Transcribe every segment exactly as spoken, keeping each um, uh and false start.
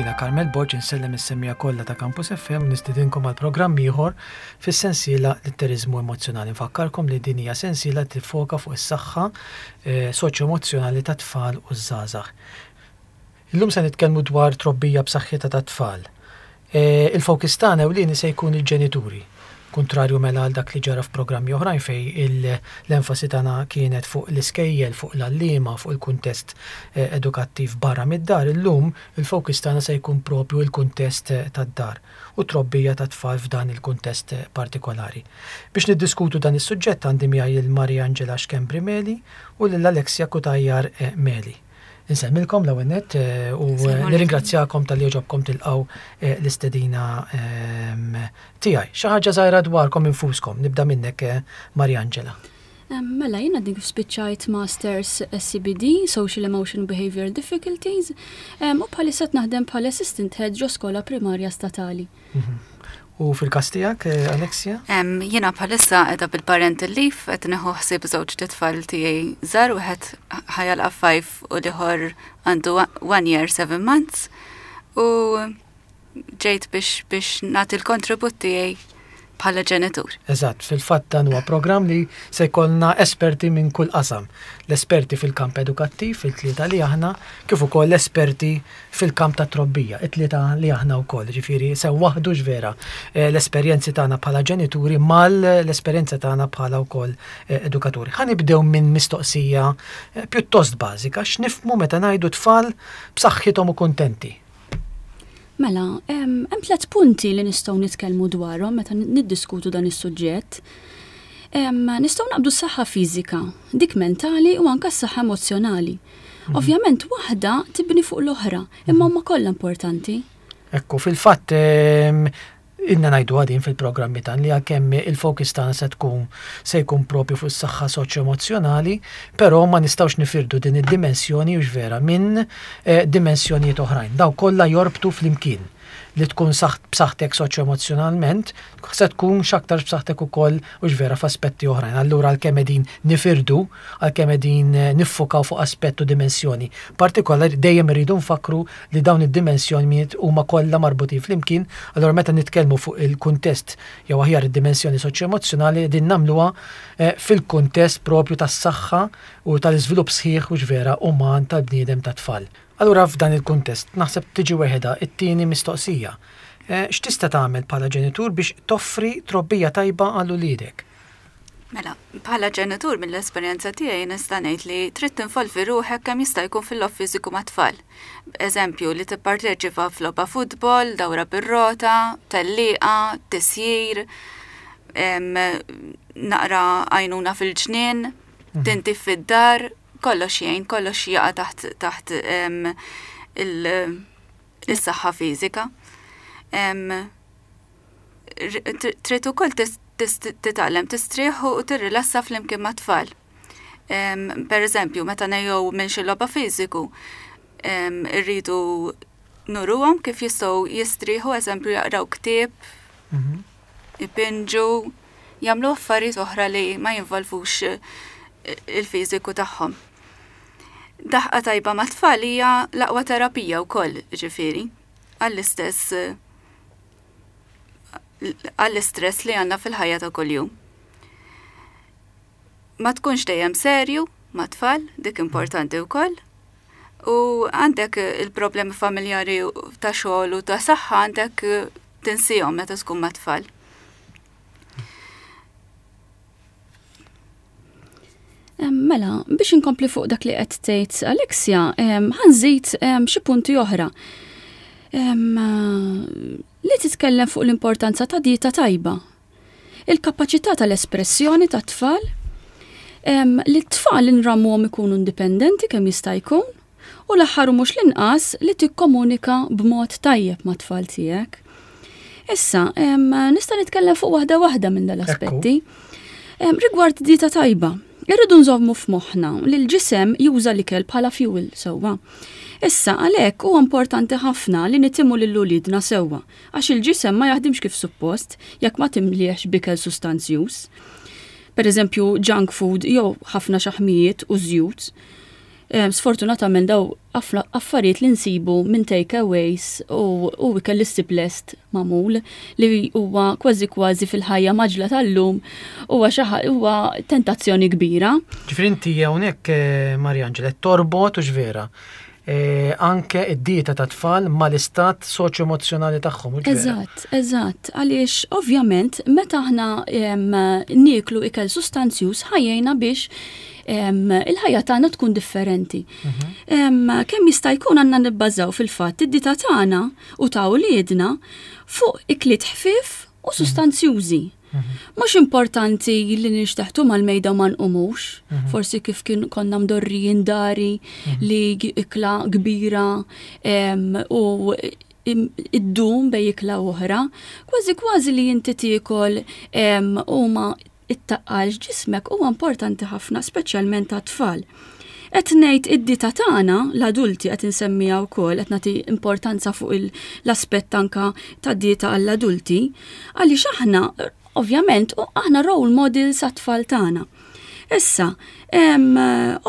Jiena Carmel Borg insellem is-semmiegħa kollha ta' Campus F M, nistedinkom għal programm ieħor fis-sensiela Litteriżmu Emozzjonali. Nfakkarkom li din hija sensiela tiffoka fuq is-saħħa eh, soċjo-emozzjonali ta' tfal u żgħażagħ. Illum se nitkellmu dwar trobbija b'saħħitha ta' tfal. Eh, il-fokus tagħna ewlieni se jkun il-ġenituri. Kontrarju mela għal dak li ġara f'programmi oħrajn fej l-enfasi tagħna kienet fuq l-iskejjel, fuq l-għalliema, fuq il-kuntest eh, edukattiv barra mid-dar, illum il-fokus tagħna se jkun propju il-kuntest eh, tad-dar u trobbija ta' tfal f'dan il-kuntest eh, partikolari. Biex niddiskutu dan is-suġġett għandi miegħi lil Maria Angela Schembri Meli u lil Alexia Cutajar Meli. Insellmilkom l-ewwel nett u nirringrazzjakom talli għoġobkom tilqgħu l-istedina ehm, tiegħi. Xi ħaġa żgħira dwarkom infuskom, nibda minnek, Maria Angela. Mela, jiena dik spiċċajt Masters S E B D, Social Emotion Behavioral Difficulties, u bħalissa naħdem bħala Assistant Head ġo skola primarja statali. Mhm. U fil-kas tiegħek, eh, Alexia? Jiena bħalissa qiegħda bil-parental leave, qed nieħu ħsieb żewġ tfal tiegħi żgħar, wieħed ħa jagħlaq five u l-ieħor għandu one year seven months. U ġejt biex biex nagħti l-kontribut tiegħi bħala ġenitur. Eżatt, fil-fatt dan huwa programm li se jkollna esperti minn kull qasam. L-esperti fil-kamp edukattiv, fil-tlieta li aħna, kif ukoll l-esperti fil-kamp ta' trobbija, it-tlieta li aħna wkoll. Ġifieri se waħdu vera eh, l-esperjenzi tagħna bħala ġenituri mal l-esperjenza tagħna bħala wkoll eh, edukaturi. Ħa nibdew minn mistoqsija eh, pjuttost bażika: x'nifhmu meta ngħidu tfal b'saħħithom u kuntenti? Mela, hemm tliet punti li nistgħu nitkellmu dwarhom meta niddiskutu dan is-suġġett. Nistgħu naqbdu s-saħħa fiżika, dik mentali u anke s-saħħa emozzjonali. Mhm. Ovvjament waħda tibni fuq l-oħra, imma huma kollha importanti. Ekku, fil-fatt ilna ngħidu għadin fil-programmi tan li għalkemm il-fokus tagħna se tkun se jkun propju fuq is-saħħa soċjo-emozzjonali, però ma nistgħux nifirdu din id-dimensjoni, hux vera, minn eh, dimensjonijiet oħrajn. Dawn kollha jorbtu flimkien. Li tkun b'saħħtek soċjo-emozzjonalment, se tkun x'aktar b'saħħtek ukoll, hux vera, f'aspetti oħrajn. Allura għalkemm qegħdin nifirdu, għalkemm qegħdin eh, niffukaw fuq aspett u dimensjoni partikolari, dejjem irridu nfakru li dawn id-dimensjonijiet huma kollha marbutin flimkien. Allura meta nitkellmu fuq il-kuntest jew aħjar id-dimensjoni soċjo-emozzjonali, din nagħmluha eh, fil-kuntest propju tas-saħħa u tal-iżvilupp sħiħ, hux vera, uman tal-bniedem, tat-tfal. Allura f'dan il-kuntest naħseb tiġi weħeda it-tieni mistoqsija. Eh, x'tista' tagħmel bħala ġenitur biex toffri trobbija tajba għal uliedek? Mela, bħala ġenitur, mill-esperjenza tiegħi nista' ngħid li trid tinvolvi ruħek kemm jista' jkun fil-logħob fiżiku mat-tfal. Eżempju, li tipparteċipa f'logħba futbol, dawra bir-rota, tellieqa, tisjir, naqra għajnuna fil-ġnien, mhm. tindif fid-dar, kollox jgħin, kollox jaqa' taħt taħt il-saħħa fiżika. Trid ukoll titgħallem tistrieħ u tirrilassa flimkien mat-tfal. Per eżempju, meta ngħejjew minn xi logħba fiżiku, irridu nuruhom kif jistgħu jistrieħu, eżempju, jaqraw ktieb, mhm. ipinġu, jagħmlu affarijiet oħra li ma jinvolvux il-fiżiku tagħhom. Daħqa tajba ma' tfal hija l-aqwa terapija wkoll, ġifieri, għall-istess għall-istress li għandna fil-ħajja ta' kuljum. Ma tkunx dejjem serju ma' tfal, dik importanti wkoll. U għandek il-problemi familjari, ta' xogħol u ta' saħħa, għandek tinsihom meta tkun ma' tfal. Mela, biex inkompli fuq dak li qed tgħid Alexia, ħa nżid xi punti oħra. Li titkellem fuq l-importanza ta' dieta tajba. Il-kapaċità tal-espressjoni ta' tfal, li t-tfal nrawmuhom ikunu indipendenti kemm jista' jkun, u l-aħħar u mhux l-inqas li tikkomunika b'mod tajjeb ma' tfal tiegħek. Issa, nista' nitkellem fuq waħda waħda minn dal-aspetti. Rigward dieta tajba, irridu nżommu f'moħħna li l-ġisem juża l-ikel bħala fuel sewwa. Issa, għalhekk huwa importanti ħafna li nitimgħu lil uliedna sewwa, għax il-ġisem ma jaħdimx kif suppost jekk ma timliex b'ikel sustanzjuż. Per eżempju, junk food jew ħafna xaħmijiet u żjut. Sfortunatament daw affarijiet li nsibu minn takeaways u, u ikel li lest magħmul li huwa kważi kważi fil-ħajja mgħaġġla tal-lum huwa huwa tentazzjoni kbira. Ġifieri inti hawnhekk, eh, Mariangela, torbot u vera E, anke id-dieta ta' tfal mal-istat soċjo-emozjonali tagħhom. Eżatt, eżatt. Għaliex ovvjament meta aħna nieklu ikel sustanzjuż ħa jgħinna biex il-ħajja tagħna tkun differenti. Mhm. Kemm jista' jkun għandna nibbażaw fil-fatt id-dieta tagħna u ta' wliedna fuq ikliet ħfief u mhm. sustanzjużi. Mhm. Mhux importanti li nixteħtu mal-mejda ma nqumux, forsi kif kien konna mdorrijin dari li ikla kbira u iddum bej ikla oħra, kważi kważi li inti tiekol u ma ittaqqalx ġismek huwa importanti ħafna, speċjalment għat-tfal. Qed ngħid id-dieta tagħna, l-adulti qed insemmiha wkoll, qed nagħti importanza fuq l-aspett anka ta' dieta għall-adulti, għaliex aħna ovvjament aħna role models għat-tfal tagħna. Issa,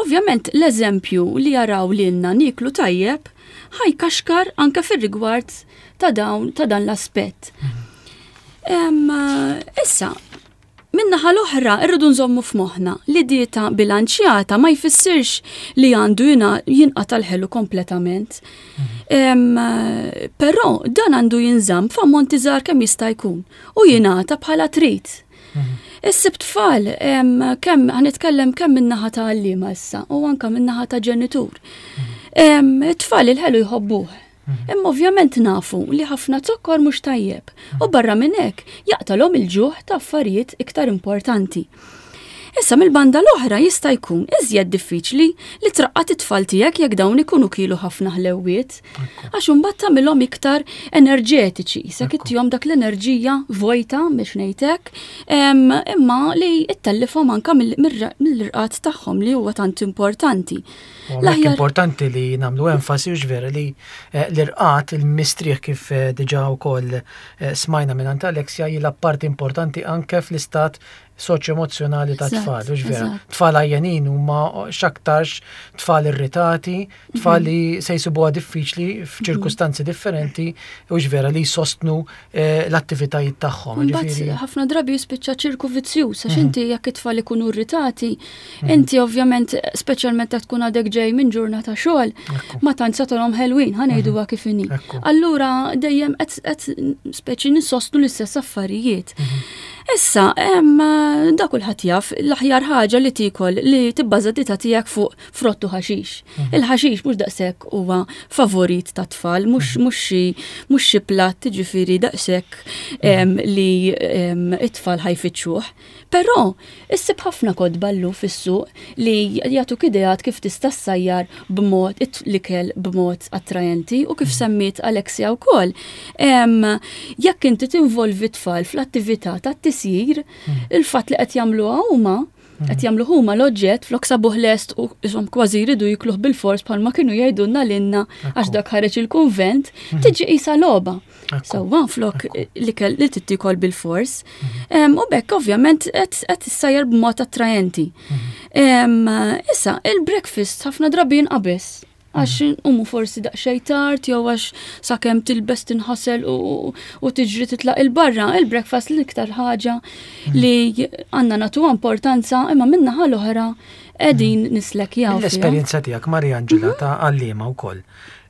ovvjament l-eżempju li jaraw lilna nieklu tajjeb ħa jkaxkar anke fir-rigward ta' dawn ta' dan l-aspett. Issa, min-naħa l-oħra, irridu nżommu f'moħħna li dieta bilanċjata ma jfissirx li għandu jinqata l-ħelu kompletament. Mhm. Però dan għandu jinżamm f'ammonti żgħar kemm jista' jkun u jingħata bħala treat. Mhm. Issib tfal kemm ħa nitkellem kemm min-naħa ta' għalliema issa u anka min-naħa ta' ġenitur. Mhm. Tfal il-ħelu jħobbuh. Mhm. Imma ovvjament nafu li ħafna zokkor mhux tajjeb u barra minn hekk jaqtalhom il-ġuħ ta' affarijiet iktar importanti. Issa mill-banda l-oħra jista' jkun iżjed diffiċli li traqqad it-tfal tiegħek jekk dawn ikunu kielu ħafna ħlewwiet. Għax imbagħad tagħmilhom iktar enerġetiċi, se ittihom dak l-enerġija vojta biex ngħidlek, imma li ttellifhom anka mill-irqad tagħhom li huwa tant importanti. L-aħjar importanti li nagħmlu enfasi u vera li eh, l-irqad, il-mistrieħ kif eh, diġà wkoll eh, smajna minn Alexia jilgħab parti importanti anke fl-istat soċjo-emozjonali ta' tfal, u vera. Tfal għajjenin huma x'aktarx tfal irritati, tfal mhm. li se jsibuha diffiċli f'ċirkustanzi differenti, u vera li jsostnu eh, l-attivitajiet tagħhom. Ħafna drabi jispiċċa ċirku vizzjuż, għax mhm. inti jekk it-tfal ikunu irritati, mhm. inti ovvjament, speċjalment jekk tkun għadek ġej minn ġurnata xogħol, ma tantx tagħtihom ħelwin, ħa ngħiduha kif inhi. Allura dejjem qed speċi nissostnu l-istess affarijiet. Issa, da kulħadd jaf, l-aħjar ħaġa li tiekol li tibbaża dieta tiegħek fuq frott u ħaxix. Mhm. Il-ħaxix mhux daqshekk huwa favorit ta' tfal, mhux mhm. mhux xi mhux xi platt ġifieri daqshekk mhm. li it-tfal ħa jfittxuh. Però issib ħafna kotba llum fis-suq li jagħtuk ideat kif tista' ssajjar b'mod l-ikel b'mod attrajenti u kif semmiet Alexia wkoll. Jekk inti tinvolvi tfal fl-attività tat-tisjir, il-fatt li qed jagħmluha huma qed jagħmlu huma l-oġġett flok sabuh lest u ishom kważi jridu jikluh bil-fors bħalma kienu jgħidulna lilna għax dak ħareġ il-kunvent, tiġi qisha logħba. Sewwa flok l-ikel li tittikol bil-fors. U bekk ovvjament qed issajjar b'mod attrajenti. Issa, il-breakfast ħafna drabi jinqabeż għax nqumu forsi daqsxejn tard jew għax sakemm tilbes tinħasel u, u tiġri titlaq il-barra, il-breakfast l-iktar ħaġa li għandna nagħtuha importanza imma min-naħa l-oħra qegħdin nislekjaw. L-esperjenza tiegħek Maria Angela ta' għalliema wkoll.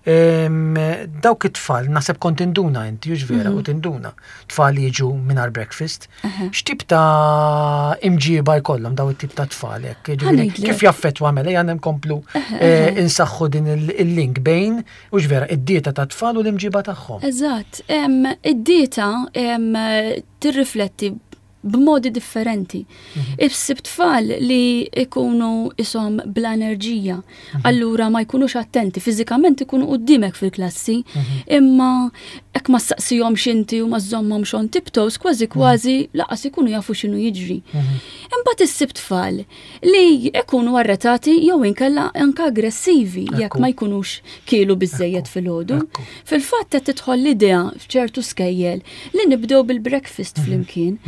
Dawk it-tfal naħseb kont tinduna inti, hux vera, u tinduna. Tfal li jiġu mingħajr breakfast. X'tip ta' imġiba jkollhom daw it-tip ta' tfal hekk? Ġifieri, kif jaffettwa mela jgħan nkomplu eh, insaħħu din il-link bejn hux vera id-dieta ta' tfal u l-imġiba tagħhom. Eżatt, id-dieta tirrifletti b'modi differenti. Mhm. Issib tfal li ikunu ishom bla enerġija, mhm. allura ma jkunux attenti, fiżikament ikunu qudiemek fil-klassi, mhm. imma jekk ma ssaqsihomx inti u ma żżommhomx on tiptoes, kważi kważi lanqas ikunu jafu x'inhu jiġri. Imbagħad issib tfal li ikunu arretati jew inkella anka aggressivi jekk ma jkunux kielu biżejjed filgħodu. Fil-fatt qed tidħol l-idea f'ċertu skejjel li nibdew bil-breakfast flimkien.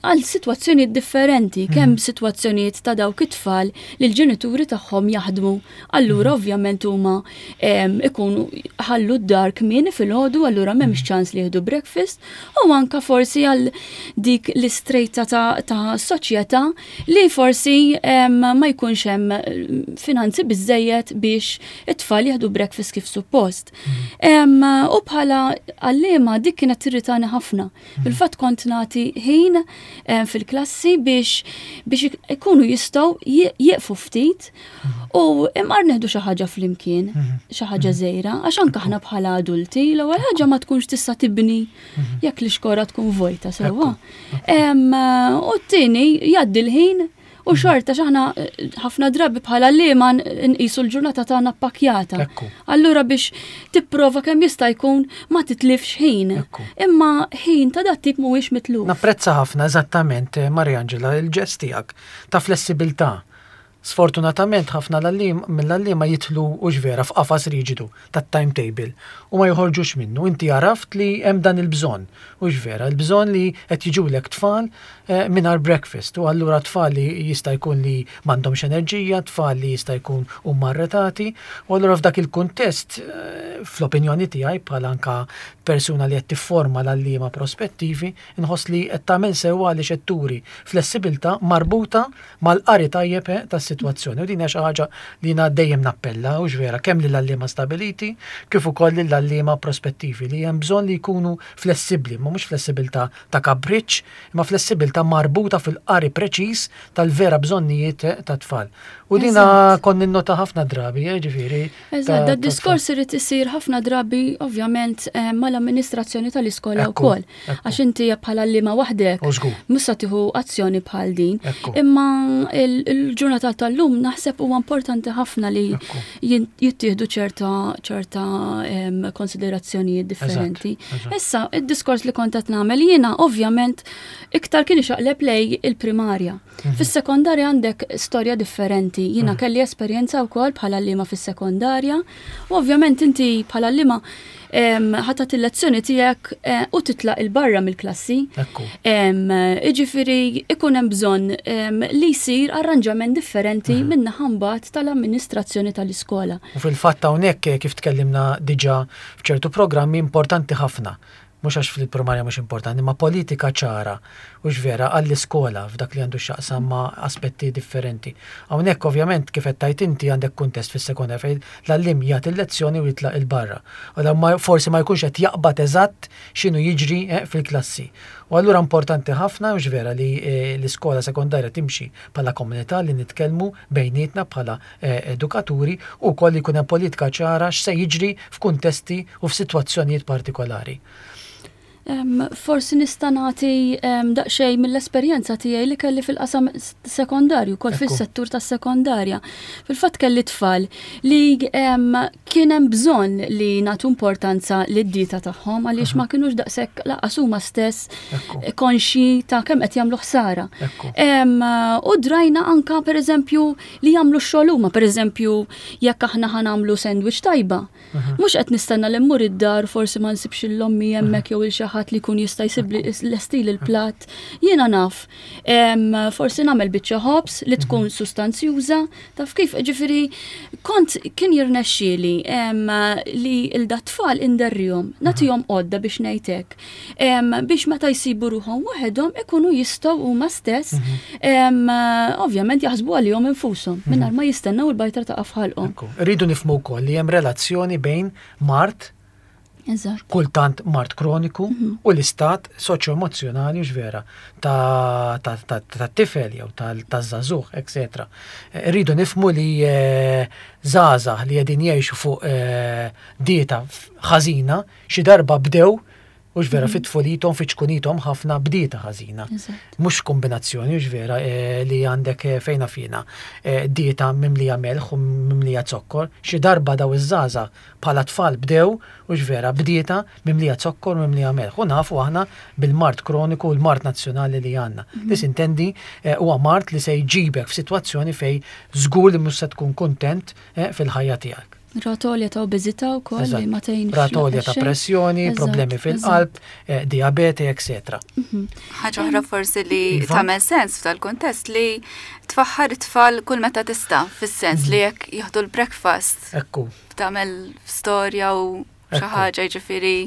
Għal sitwazzjonijiet differenti, kemm sitwazzjonijiet ta' dawk it-tfal li l-ġenituri tagħhom jaħdmu. Allura ovvjament huma ikunu ħallu d-dar kmieni filgħodu, allura m'hemmx ċans li jieħdu breakfast, u anka forsi għal dik l-istrata ta', ta soċjetà li forsi ma jkunx hemm finanzi biżejjed biex it-tfal jieħdu breakfast kif suppost. U bħala għalliema dik kienet tirritani ħafna. Fil-fatt kont nagħti ħin fil-klassi biex biex ikunu jistgħu jieqfu ftit u imqar nieħdu xi ħaġa flimkien, xi ħaġa żgħira, għax anke aħna bħala adulti l-ewwel ħaġa ma tkunx tista' tibni jekk l-ixkora tkun vojta sewwa. U t-tieni jgħaddi l-ħin u xorta x'aħna ħafna drabi bħala li ma nqisu l-ġurnata tagħna ppakjata. Allura biex tipprova kemm jista' jkun ma titlifx ħin. Imma ħin ta' dat tip mhuwiex mitluf. Napprezza ħafna eżattament, Mariangela, il-ġest tiegħek ta' flessibilità. Sfortunatament ħafna mill-għalliema jidħlu u vera f'qafas riġidu tat-timetable u ma joħorġux minnu. Inti għaraft li hemm dan il-bżonn, u vera, il-bżonn li qed jiġulek tfal mingħajr breakfast, u allura tfal li jista' jkun li m'għandhomx enerġija, tfal li jista' jkun huma arretati, u allura f'dak il-kuntest, fl-opinjoni tiegħi bħala anka persuna li qed tifforma l-għalliema prospettivi, inħoss li qed tagħmel sewwa għaliex qed turi flessibilità marbuta mal-qari tajjeb tas-sitwazzjoni. U din hija xi ħaġa li jiena dejjem nappella, u vera, kemm lill-għalliema stabiliti kif ukoll lill-għalliema prospettivi li hemm bżonn li jkunu flessibbli, ma mhux flessibilità ta' kapriċċ, imma flessibilità marbuta fil-qari preċiż tal-vera bżonnijiet tat-tfal. U dina kont ninnota ħafna drabi, ġifieri. Eżatt, da diskors irid isir ħafna drabi ovvjament mal-amministrazzjoni tal-iskola wkoll. Għax inti bħala għalliema waħdek mhux se tieħu azzjoni bħal din. Imma il-ġurnata tal-lum naħseb huwa importanti ħafna li jittieħdu ċerta ċerta konsiderazzjonijiet differenti. Issa, id-diskors li kont qed nagħmel jiena ovvjament iktar kien ixaqleb lej il-primarja. Fis-sekondarja għandek storja differenti. Jiena kelli esperjenza wkoll bħala għalliema fis-sekondarja u ovvjament inti bħala għalliema ħa tagħti il-lezzjoni tiegħek u titlaq il-barra mill-klassi. Iġifieri ikun hemm bżonn li jsir arranġament differenti minn naħa mbagħad tal-amministrazzjoni tal-iskola. U fil-fatt hawnhekk kif tkellimna diġà f'ċertu programmi importanti ħafna, mhux għax fil-primarja mhux importanti, ma politika ċara u vera għall-iskola f'dak li għandu x'jaqsam ma' aspetti differenti. Hawnhekk ovvjament kif qed tgħid inti għandek kuntest fis-sekondarja fejn l-għalliem jagħti l-lezzjoni u jitlaq il-barra. U forsi ma jkunx qed jaqbad eżatt x'inhu jiġri fil-klassi. U allura importanti ħafna u vera li l-iskola sekondarja timxi bħala komunità li nitkellmu bejnietna bħala edukaturi u wkoll jkun hemm politika ċara x'se jiġri f'kuntesti u f'sitwazzjonijiet partikolari. Um, forsi nista' nagħti um, daqsxejn mill-esperjenza tiegħi li kelli fil-qasam sekondarju, kol fis-settur tas-sekondarja. Fil-fatt kelli tfal li um, kien hemm bżonn li nagħtu importanza lid-dieta tagħhom għaliex ma kinux daqshekk lanqas huma stess konxji ta' kemm qed jagħmlu ħsara. Um, u drajna anka pereżempju li jagħmlu x-xogħol huma, pereżempju jekk aħna ħa nagħmlu sandwich tajba. Mhux qed nistenna li mmur id-dar forsi ma nsibx l-ommi hemmhekk jew il xi ħadd li jkun jista' jsib l-estil il-platt. Jiena naf, forsi nagħmel biċċa ħobż li tkun sustanzjuża, taf kif, ġifieri kont kien jirnexxieli li l-dat-tfal inderrihom, nagħtihom għodda biex ngħid hekk, biex meta jsibu ruħhom waħedhom ikunu jistgħu huma stess ovvjament jaħsbu għalihom infushom mingħajr ma jistennew il-bajtra ta' f'ħalqhom. Rridu nifhmu wkoll li hemm relazzjoni bejn mard, kultant mard kroniku, u l-istat soċjo-emozjonali vera ta' tifel jew ta' żagħżugħ, et cetera. Rridu nifhmu li żgħażagħ li qegħdin jgħixu fuq dieta ħażina xi darba bdew u vera fit-tfulithom, fi ċkunithom ħafna b'dieta ħażina. Mhux kombinazzjoni, u vera li għandek fejna fina dieta mimlija melħ u mimlija zokkor. Xi darba daw iż-żgħażagħ bħala tfal bdew u vera b'dieta mimlija zokkor u mimlija melħ. U nafu aħna bil-mard kroniku u l-mard nazzjonali li għandna. Li sintendi huwa mard li se jġibek f'sitwazzjoni fej żgur li mhux se tkun kuntent fil-ħajja tiegħek. Rata għolja ta' obeżità wkoll li ma tgħinx. Rata għolja ta' pressjoni, problemi fil-qalb, eh, diabete, eccetera. Mhm. Ħaġa oħra forsi li iva. tagħmel sens f'dal-kuntest li tfaħħar it-tfal kull meta tista', fis-sens li mhm. jekk jieħdu l-breakfast. Ekku. Tagħmel storja u xi ħaġa, jiġifieri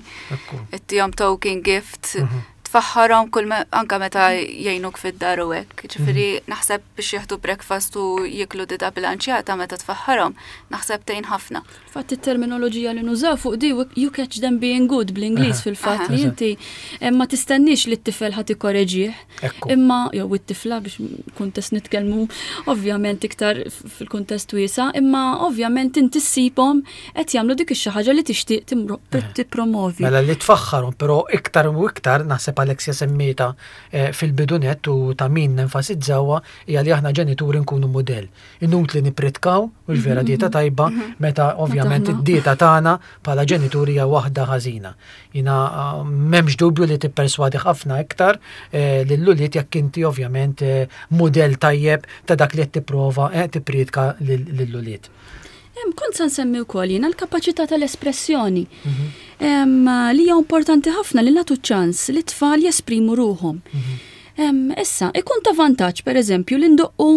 ittihom token gift, mhm. tfaħħarhom kull anka meta jgħinuk fid-dar u hekk. Ġifieri mhm. naħseb biex jieħdu breakfast u jiklu dieta bilanċjata meta tfaħħarhom, naħseb tgħin ħafna. Fatt it-terminoloġija li nużaw fuq di "you catch them being good" bl-Ingliż, fil-fatt li inti eh, ma tistenniex li t-tifel ħa tikkoreġih. Imma jew it-tifla, biex kuntest nitkellmu ovvjament iktar fil-kuntest wiesa', imma ovvjament inti ssibhom qed jagħmlu dik ix-xi ħaġa li tixtieq tippromovi. Mela li tfaħħarhom, però iktar u iktar naħseb Alexia semmietha eh, fil-bidu nett u ta' min nenfasizzawa, hija li aħna ġenituri nkunu modell. Inutli nippritkaw u l-vera dieta mhm. tajba mhm. meta ovvjament id-dieta tagħna bħala ġenituri hija waħda ħażina. Jiena ah, m'hemmx dubju li tipperswadi ħafna iktar eh, lill-ulied jekk inti ovvjament eh, modell tajjeb ta' dak li qed tipprova tippriedka lill-ulied. Kont se nsemmi wkoll jiena l-kapaċità tal-espressjoni. Mhm. Li hija importanti ħafna li nagħtu ċans li tfal jesprimu ruħhom. Mhm. Issa, ikun ta' vantaġġ per eżempju li ndoqqu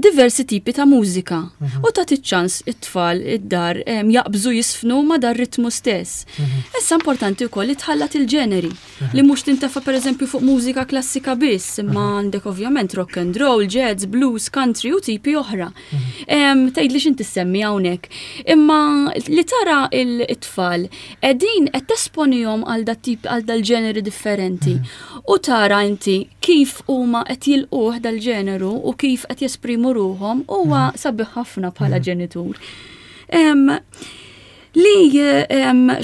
diversi tipi ta' mużika mhm. u ta' ċans it-tfal id-dar jaqbżu jiżfnu ma' dar ritmu stess. Mhm. Issa importanti wkoll li tħallat il-ġeneri, mhm. li mhux tintefa' per eżempju fuq mużika klassika biss, imma għandek ovvjament rock and roll, jazz, blues, country u tipi oħra. Tgħid li x'inti semmi hawnhekk. Imma li tara il-tfal qegħdin qed tesponihom għal dat tip, għal dal-ġeneri differenti u tara inti kif huma qed jilquh dal-ġeneru u kif qed jesprimu ruhom huwa mhm. sabiħ ħafna bħala mhm. ġenitur. Li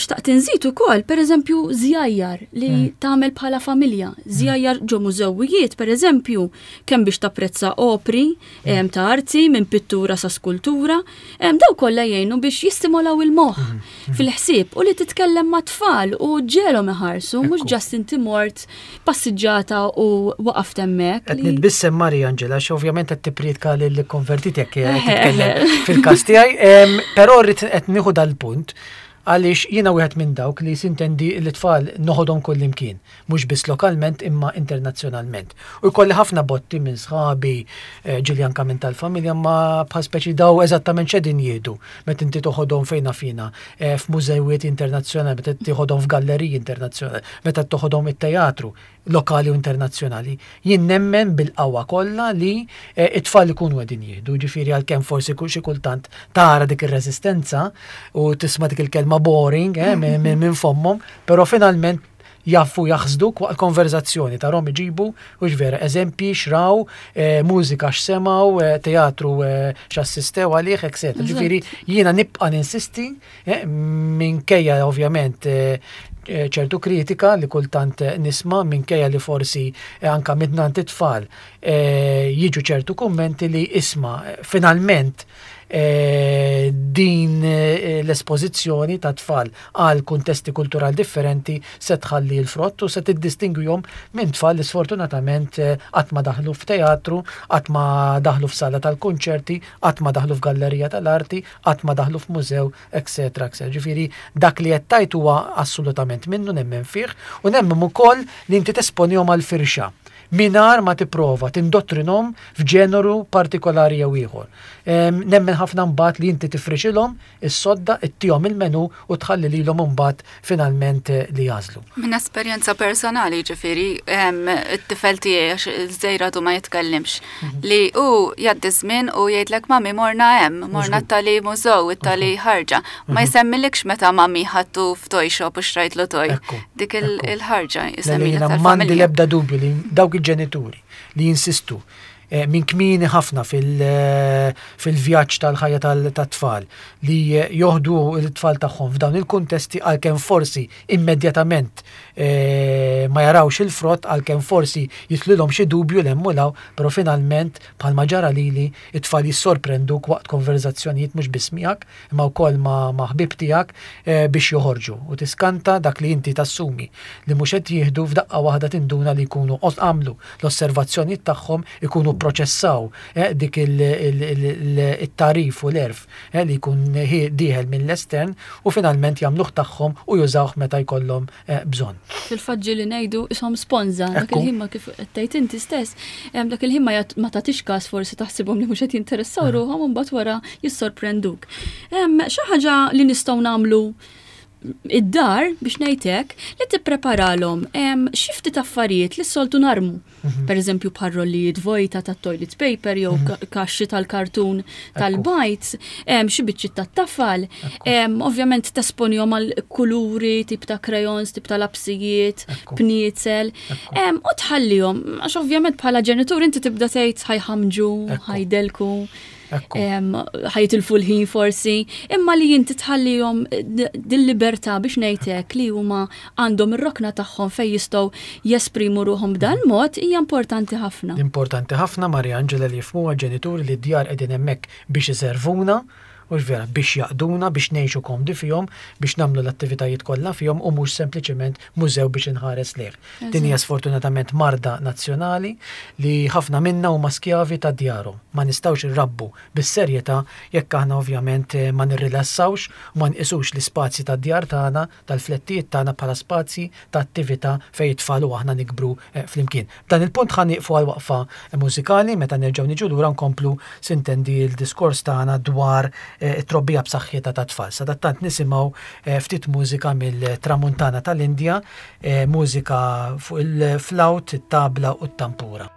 xtaqt inżid ukoll, per eżempju, żjajjar li mm. tagħmel bħala familja, żjajjar ġo mużewijiet, per eżempju, kemm biex tapprezza opri mm. ta' arti minn pittura sa skultura, daw kollha jgħinu biex jistimolaw il-moħħ mm. fil-ħsieb u li titkellem ma' tfal u ġelhom iħarsu, mhux just inti mort passiġġata u waqaft hemmhekk. Qed nitbissem, Maria Angela, għax ovvjament qed tippriedka lil konvertiti jekk titkellem fil-każ tiegħi, però rrid qed nieħu dal-punt għaliex jiena wieħed minn dawk li sintendi l-tfal noħodhom kull imkien, mhux biss lokalment imma internazzjonalment. U jkolli ħafna botti minn sħabi, eh, ġieli anka minn tal-familja, ma bħal speċi daw eżattament x'qedin jieħdu meta inti toħodhom fejn fina eh, f'mużewiet internazzjonali, meta toħodhom f'galleriji internazzjonali, meta toħodhom it-teatru lokali u internazzjonali. Jien nemmen bil-qawwa kollha li eh, it-tfal ikunu qegħdin jieħdu, ġifieri għalkemm forsi xi kultant tara dik ir-reżistenza u tisma' dik il-kelma "boring" eh, minn fommhom, però finalment jafu jaħsduk waqt konverzazzjoni tarahom iġibu u vera eżempji xraw, eh, mużika x'semgħu, eh, teatru eh, x'assistew għalih, et cetera. Ġifieri jiena nibqa' ninsisti minkejja ovvjament ċertu kritika li kultant nisma', minkejja li forsi anka mingħand it-tfal jiġu ċertu kummenti li isma' finalment Eh, din eh, l-espożizzjoni ta' tfal għal kuntesti kulturali differenti se tħalli l-frott u se tiddistingwihom minn tfal li sfortunatament eh, qatt ma daħlu f'teatru, qatt ma daħlu f'sala tal-konċerti, qatt ma daħlu f'gallerija tal-arti, qatt ma daħlu f'mużew, et cetera et cetera. Ġifieri dak li qed tajt huwa assolutament minnu, nemmen fih u nemmen ukoll li inti tesponihom għal firxa mingħajr ma tipprova tindottrinhom f'ġeneru partikolari jew ieħor. Nemmen ħafna mbagħad li inti tifrixilhom is-sodda, ittihom il-menu u tħalli lilhom imbagħad finalment eh, li jagħżlu. Minn esperjenza personali, ġifieri, it-tifel tiegħi, għax iż-żgħir għadu ma jitkellimx, mhm. li hu jgħaddi żmien u jgħidlek: "Mami, morna hemm, morna tali mużew, tali ħarġa." Ma mhm. jsemmilikx meta mami ħadtu f'toy shop u xtrajtlu toy. Dik il-ħarġa jsemmilek. M'għandi l-ebda dubju li dawk il-ġenituri li jinsistu eh, minn kmieni ħafna eh, fil-vjaġġ tal-ħajja tat-tfal li joħdu l-tfal tagħhom f'dawn il-kuntesti, għalkemm forsi immedjatament eh, ma jarawx il-frott, għalkemm forsi jitilgħilhom xi dubju 'l hemm u 'l hawn, però finalment, bħalma ġara lili, it-tfal jissorprenduk waqt konverzazzjonijiet mhux biss miegħek imma wkoll ma' ħbib tiegħek biex joħorġu u tiskanta dak li inti tassumi li mhux qed jieħdu, f'daqqa waħda tinduna li jkunu għamlu l-osservazzjonijiet tagħhom, ikunu jipproċessaw eh, dik il-tagħrif u l-għerf eh, li jkun dieħel mill-estern u finalment jagħmluh tagħhom u jużawh meta jkollhom eh, bżonn. Fil-fatt li ngħidu ishom sponża, dak il-ħin ma kif qed tgħid inti stess, dak il-ħin ma tagħtix każ forsi taħsibhom li mhux qed jinteressaw ruħhom u mbagħad wara jissorprenduk. Xi ħaġa li nistgħu nagħmlu id-dar biex ngħidlek li tippreparalhom xi ftit affarijiet li s-soltu narmu. Mhm. Per eżempju bħal rollijiet vojta ta' toilet paper jew mhm. kaxxi tal-kartun tal-bajd, xi biċċiet tat-tafal. Ovvjament tesponihom għal kuluri, tip ta' crayons, tip ta' lapsijiet, pniezel. U tħallihom, għax ovvjament bħala ġenitur inti tibda tgħid ħa jħammġu, ħa jdelku ħa jitilfu l-ħin forsi, imma li inti tħallihom dil-libertà biex ngħidlek li huma għandhom ir-rokna tagħhom fejn jistgħu jesprimu ruħhom b'dan mod hija importanti ħafna. Importanti ħafna Maria Angela li jifhmuha ġenituri li d-djar qegħdin hemmhekk biex iservuna u vera biex jaqduna, biex ngħixu komdi fihom, biex nagħmlu l-attivitajiet kollha fihom u mhux sempliċement mużew biex inħares lejh. Din hija sfortunatament marda nazzjonali li ħafna minna huma skjavi ta' djarhom. Ma nistgħux irrabbu bis-serjetà jekk aħna ovvjament eh, ma nirrilassawx u ma nqisux l-ispazji tad-djar tagħna, tal-flettijiet tagħna bħala spazji ta' attività fejn it-tfal u aħna nikbru eh, flimkien. Dan il-punt ħa nieqfu għal waqfa mużikali meta nerġgħu niġu lura nkomplu sintendi l-diskors tagħna dwar eh, it-trobbija b'saħħitha ta' tfal. Sadattant nisimgħu eh, ftit mużika mill-Tramuntana tal-Indja, eh, mużika fuq il-flawt, it-tabla u t-tampura.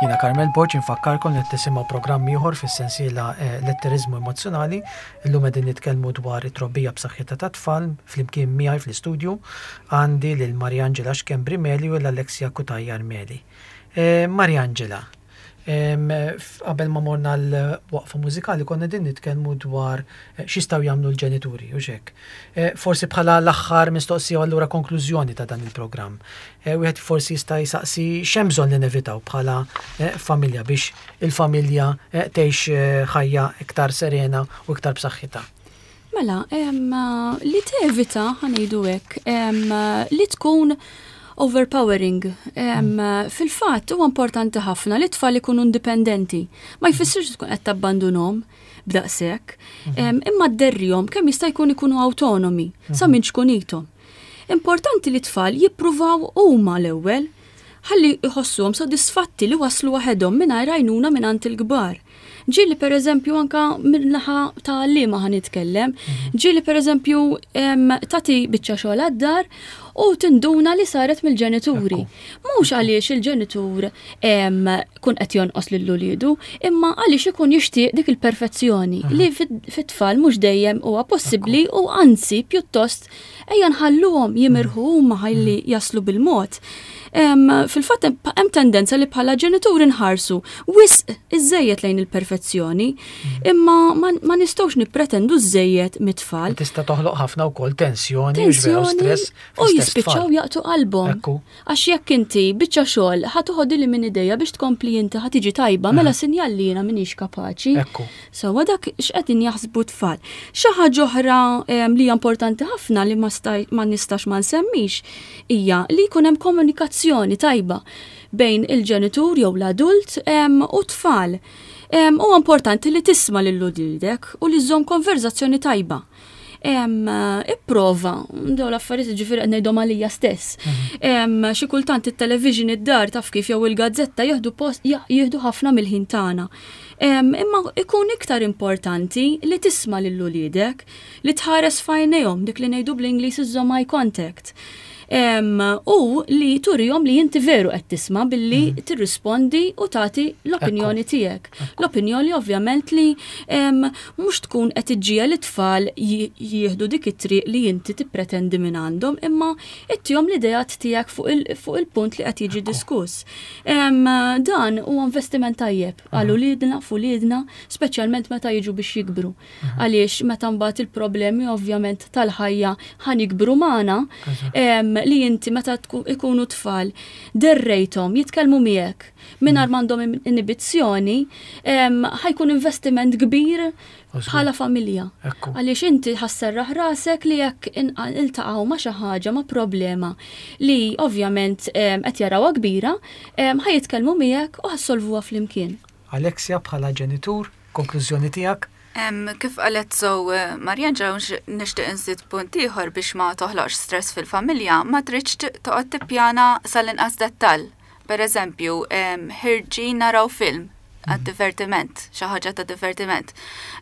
Jiena Carmel Borg infakkarkom li tisimgħu programm ieħor fis-sensiela eh, Letteriżmu Emozzjonali. Illum qegħdin nitkellmu dwar it-trobbija b'saħħitha ta' tfal flimkien miegħi fl-istudju għandi lil Mariangela Schembri Meli u l-Alexia Cutajar Meli. Eh, Mariangela, qabel ma morna l-waqfa mużikali konna din nitkellmu dwar eh, x'jistgħu jagħmlu l-ġenituri u xek. Eh, forsi bħala l-aħħar mistoqsija u allura konklużjoni ta' dan il-programm. Eh, wieħed forsi jista' jsaqsi x'hemm bżonn li nevitaw bħala familja biex il-familja tgħix ħajja iktar serena u iktar b'saħħitha. Mela, li tevita ħa ngħidu hekk, li tkun overpowering. Mm. Fil-fatt huwa importanti ħafna li tfal ikunu indipendenti. Ma jfissirx tkun qed tabbandunhom b'daqshekk, mhm. imma dderrihom kemm jista' jkun ikunu autonomi sa mhm. minn ċkunithom. Importanti li tfal jippruvaw huma l-ewwel ħalli jħossuhom sodisfatti li waslu waħedhom mingħajr għajnuna mingħand il-kbar. Ġieli per eżempju anka min-naħa ta' għalliema ħa nitkellem, mhm. ġieli per eżempju tagħti biċċa xogħol għad-dar u tinduna li saret mill-ġenituri. Mhux għaliex il-ġenitur kun qed jonqos lil uliedu, imma għaliex ikun jixtieq dik il-perfezzjoni li fit-tfal mhux dejjem huwa possibbli u anzi pjuttost ejja nħalluhom jimirħu huma ħalli mhm. jaslu bil-mod. Fil-fatt hemm tendenza li bħala ġenituri nħarsu wisq iżejjed lejn il-perfezzjoni, mhm. imma ma nistgħux nippretendu żejjed mit-tfal. Tista' toħloq ħafna wkoll tensjoni, tensjoni stress. U jispiċċaw jaqtgħu qalbhom. Għax jekk inti biċċa xogħol ħa toħodli minn idejja biex tkompli inti ħa tiġi tajba, mela sinjal li jiena m'iniex kapaċi. Sewwa dak x'qegħdin jaħsbu tfal. Xi ħaġa oħra li hija importanti ħafna li ma nistax ma nsemmix hija li jkun hemm komunikazzjoni tajba bejn il-ġenitur jew l-adult u tfal. Huwa importanti li tisma' lil uliedek u li żżomm konverzazzjoni tajba. Ipprova, daw l-affarijiet, ġifieri qed ngħidhom għalija stess. Mhm. Xi kultant it-television id-dar, taf kif, jew il-gazzetta jieħdu post, jieħdu ħafna mill-ħin tagħna. Imma ikun iktar importanti li tisma' lil uliedek, li tħares f'għajnejhom, dik li ngħidu bl-Ingliż iżżomm eye contact. U li turihom li inti veru qed tisma' billi mm. tirrispondi u tagħti l-opinjoni tiegħek. L-opinjoni ovvjament li mhux tkun qed iġġiegħel it-tfal jieħdu dik it-triq li inti tippretendi minn għandhom, imma ittihom l-ideat tiegħek fuq il-punt li qed jiġi diskuss. Dan huwa investiment tajjeb għal uliedna, f'uliedna, speċjalment meta jiġu biex jikbru. Għaliex meta mbagħad il-problemi ovvjament tal-ħajja ħa jikbru magħna, li inti meta ikunu tfal derrejthom jitkellmu miegħek mingħajr mm. m'għandhom inibizzjoni, ħa jkun investiment kbir bħala familja. Għaliex inti ħa sserraħ rasek li jekk iltaqgħu ma' xi ħaġa, ma' problema li ovvjament qed jarawha kbira, ħa jitkellmu miegħek u ħa ssolvuha flimkien. Alexia, bħala ġenitur, konklużjoni tiegħek? Kif qalet so eh, Mariangela, nixtieq inżid punt ieħor biex ma toħloqx stress fil-familja: ma tridx toqgħod tippjana sal-inqas dettall. Per eżempju, ħerġin naraw film għad-divertiment, xi ħaġa ta' divertiment.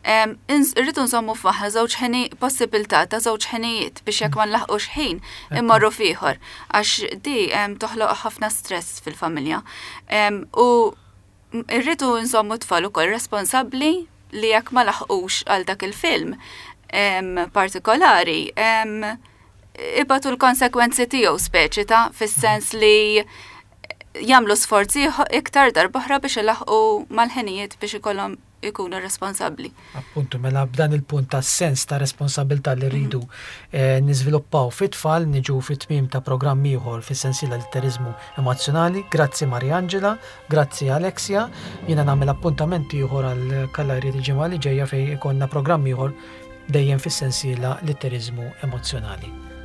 Irridu nżommu f'moħħna żewġ ħini, possibilità ta' żewġ ħinijiet, biex jekk ma nlaħqux ħin immorru f'ieħor, għax di toħloq ħafna stress fil-familja. U irridu nżommu tfal ukoll responsabbli li jekk ma laħqux għal dak il-film partikolari, ibatu l-konsekwenzi tiegħu, speċi ta' fis-sens li jagħmlu sforzi iktar darb'oħra biex ilaħqu mal-ħinijiet, biex ikollhom ikunu responsabbli. Appuntu, mela b'dan il-punt ta' sens ta' responsabilità li rridu eh, niżviluppaw fit-tfal niġu fit-tmiem ta' programm ieħor fis-sensiela Litteriżmu Emozzjonali. Grazzi Mariangela, grazzi Alexia. Jiena nagħmel appuntament ieħor għal Kallari il-ġimgħa li ġejja, fejn ikollna programm ieħor dejjem fis-sensiela Litteriżmu Emozzjonali.